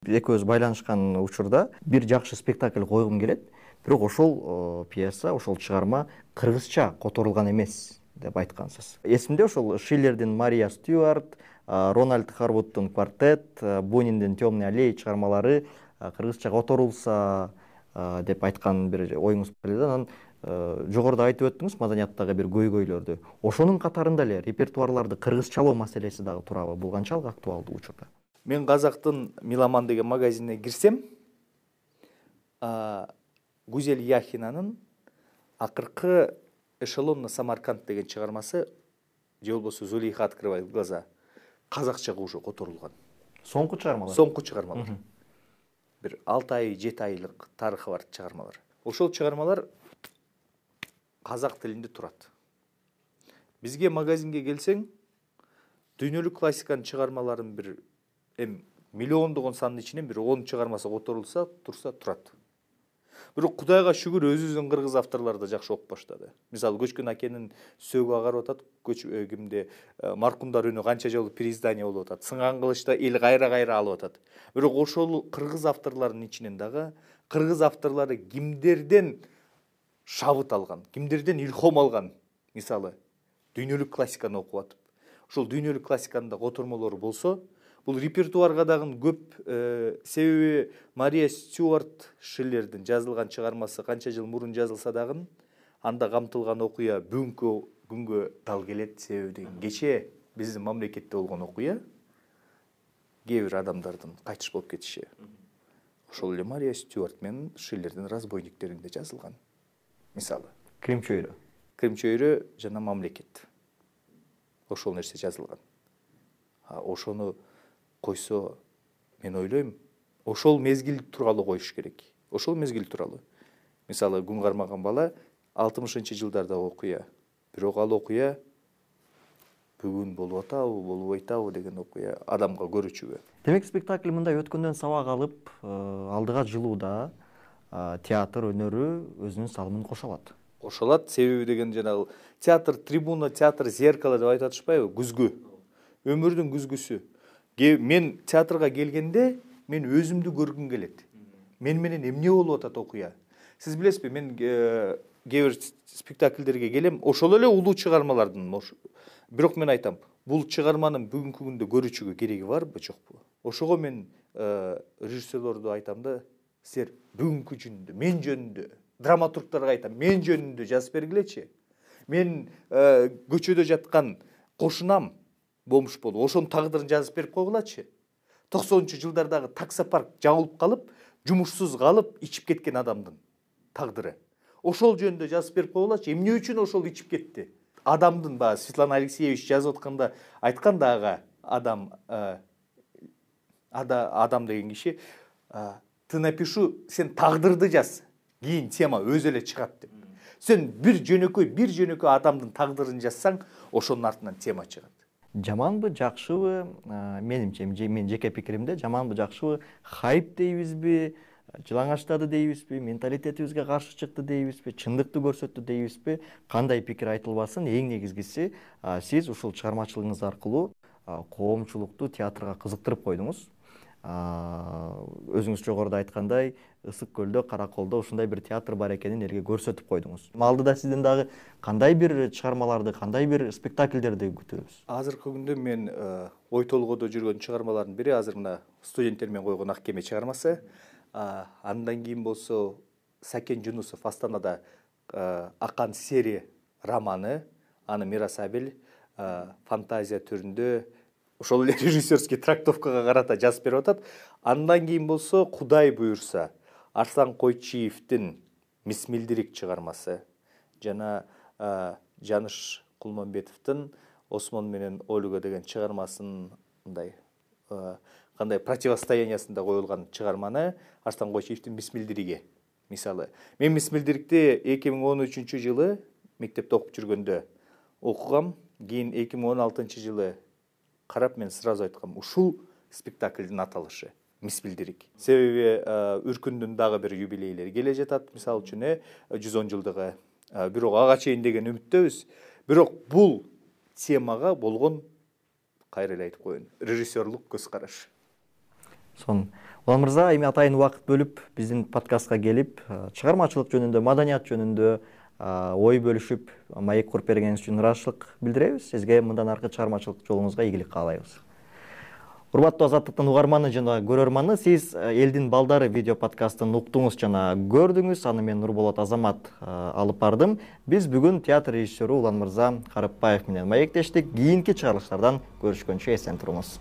Экөөбүз байланышкан учурда бир жакшы спектакль койгум келет, бирок ошол пьеса, ошол чыгарма кыргызча которулган эмес деп айткансыз. Эсимде ошол Шиллердин Мария Стюарт, Рональд Харвудтун Квартет, Буниндин Темный аллея чыгармалары кыргызча которулса деп айткан бир оюңуз бар эле. Анан жогоруда айтып өттүңүз маданияттагы бир көйгөйлөрдү. Ошонун катарында эле репертуарларды кыргызчалоо маселеси дагы турабы? Бул канчалык актуалдуу учурда? Мен Казактын Миламан деген магазинине кирсем, Гузель Яхинанын акыркы Эшелон на Самарканд деген чыгармасы, же болбосо Зулейха открывает глаза, казакчага уже которулган. Соңку чыгармалар? Соңку чыгармалар. Бир алты ай, жети айлык тарыхы бар чыгармалар. Ошол чыгармалар казак тилинде турат. Бизге магазинге келсең, дүйнөлүк классиканын чыгармаларын бир эм миллиондогон сандын ичинен бир он чыгармасы которулса, турса турат. Бирок Кудайга шүгүр өзүбүздүн кыргыз авторлор да жакшы окуп баштады. Мисалы Көчкөн акенин сөөгү агарып атат, көч кимде Маркумдар үнү канча жолу переиздание болуп атат. Сынган кылычта эл кайра-кайра алып атат. Бирок ошол кыргыз авторлордун ичинен дагы кыргыз авторлору кимдерден шабыт алган, кимдерден илхом алган, мисалы дүйнөлүк классиканы окуп атып, ошол дүйнөлүк классиканын да котормолору болсо, бул репертуарга дагы көп, себеби Мария Стюарт Шиллердин жазылган чыгармасы канча жыл мурун жазылса дагы, анда камтылган окуя бүгүнкү күнгө дал келет. Себеби кече биздин мамлекетте болгон окуя кээ бир адамдардын кайтыш болуп кетиши. ошол эле Мария Стюарт менен Шиллердин разбойниктеринде жазылган. Мисалы Крим чөйрө. Крим чөйрө жана мамлекет. Ошол нерсе жазылган. А ошону койсо, мен ойлойм, ошол мезгил тууралуу коюш керек. Ошол мезгил тууралуу. Мисалы, күн кармаган бала алтымышынчы жылдардагы окуя. Бирок ал окуя бүгүн болуп атабы, болбой атабы деген окуя адамга көрүүчүгө. Демек спектакль мындай өткөндөн сабак алып, алдыга жылууда театр өнөрү өзүнүн салымын кошо алат. Кошо алат, себеби деген жанагы театр трибуна, театр зеркало деп айтып атышпайбы? Күзгү. Өмүрдүн күзгүсү. Мен театрга келгенде мен өзүмдү көргүм келет. Мен менен эмне болуп атат окуя? Сиз билесизби, мен кээ бир спектакльдерге келем, ошол эле улуу чыгармалардын. Бирок мен айтам, бул чыгарманын бүгүнкү күндө көрүүчүгө кереги барбы, жокпу? Ошого мен режиссерлорду айтам да, силер бүгүнкү жөнүндө, мен жөнүндө, драматургтарга айтам, мен жөнүндө жазып бергилечи. Мен көчөдө жаткан кошунам бомж болуп, ошонун тагдырын жазып берип койгулачы. токсонунчу жылдардагы таксопарк жабылып калып, жумушсуз калып, ичип кеткен адамдын тагдыры. Ошол жөнүндө жазып берип койгулачы. Эмне үчүн ошол ичип кетти? Адамдын баягы Светлана Алексеевич жазып атканда айткан да ага адам ада адам деген киши ты напишу, сен тагдырды жаз. Кийин тема өзү эле чыгат деп. Сен бир жөнөкөй, бир жөнөкөй адамдын тагдырын жазсаң, ошонун артынан тема чыгат. Жаманбы, жакшыбы? Менимче, мен жеке пикиримде, жаманбы, жакшыбы? Хайп дейбизби? Жылаңачтады дейбизби? Менталитетибизге каршы чыкты дейбизби? Чындыкты көрсөттү дейбизби? Кандай пикир айтылбасын, эң негизгиси, сиз ушул чыгармачылыгыңыз аркылуу коомчулукту театрга кызыктырып койдуңуз. Өзүңүз жогоруда айткандай, Ысык көлдө, Караколдо ушундай бир театр бар экенин элге көрсөтүп койдуңуз. Алдыда сизден дагы кандай бир чыгармаларды, кандай бир спектакльдерди күтөбүз? Азыркы күндө мен ой толгоодо жүргөн чыгармалардын бири азыр мына студенттер менен койгон Ак кеме чыгармасы. Андан кийин болсо Сакен Жунусов Астанада Акан Сери романы, аны Мирас Абель фантазия түрүндө ошол эле режиссерский трактовкага карата жазып берип атат. Андан кийин болсо Кудай буйрса Арслан Койчиевдин Мисмилдирик чыгармасы жана Жаныш Кулманбетовдун Осмон менен Ольга деген чыгармасын мындай кандай противостояниясында коюлган чыгарманы Арслан Койчиевдин Мисмилдириги. Мисалы, мен Мисмилдирикти эки миң он үчүнчү жылы мектепте окуп жүргөндө окугам, кийин эки миң он алтынчы жылы карап мен сразу айткам, ушул спектакльдин аталышы Мисмилдирик. Себеби Үркүндүн дагы бир юбилейлери келе жатат, мисалы үчүн жүз он жылдыгы. Бирок ага чейин деген үмүттөбүз. Бирок бул темага болгон, кайра эле айтып коеюн, режиссерлук көз караш. Сон, Улан мырза, эми атайын убакыт бөлүп биздин подкастка келип, чыгармачылык жөнүндө, маданият жөнүндө ой бөлүшүп, маек куруп бергениңиз үчүн ыраазычылык билдиребиз. Сизге мындан аркы чыгармачылык жолуңузга ийгилик каалайбыз. Урматтуу Азаттыктын угарманы жана көрөрманы, сиз Элдин балдары видео подкастын уктуңуз жана көрдүңүз. Аны мен Нурболот Азамат алып бардым. Биз бүгүн театр режиссеру Улан мырза Карыпбаев менен маектештик. Кийинки чыгарылыштардан көрүшкөнчө эсен туруңуз.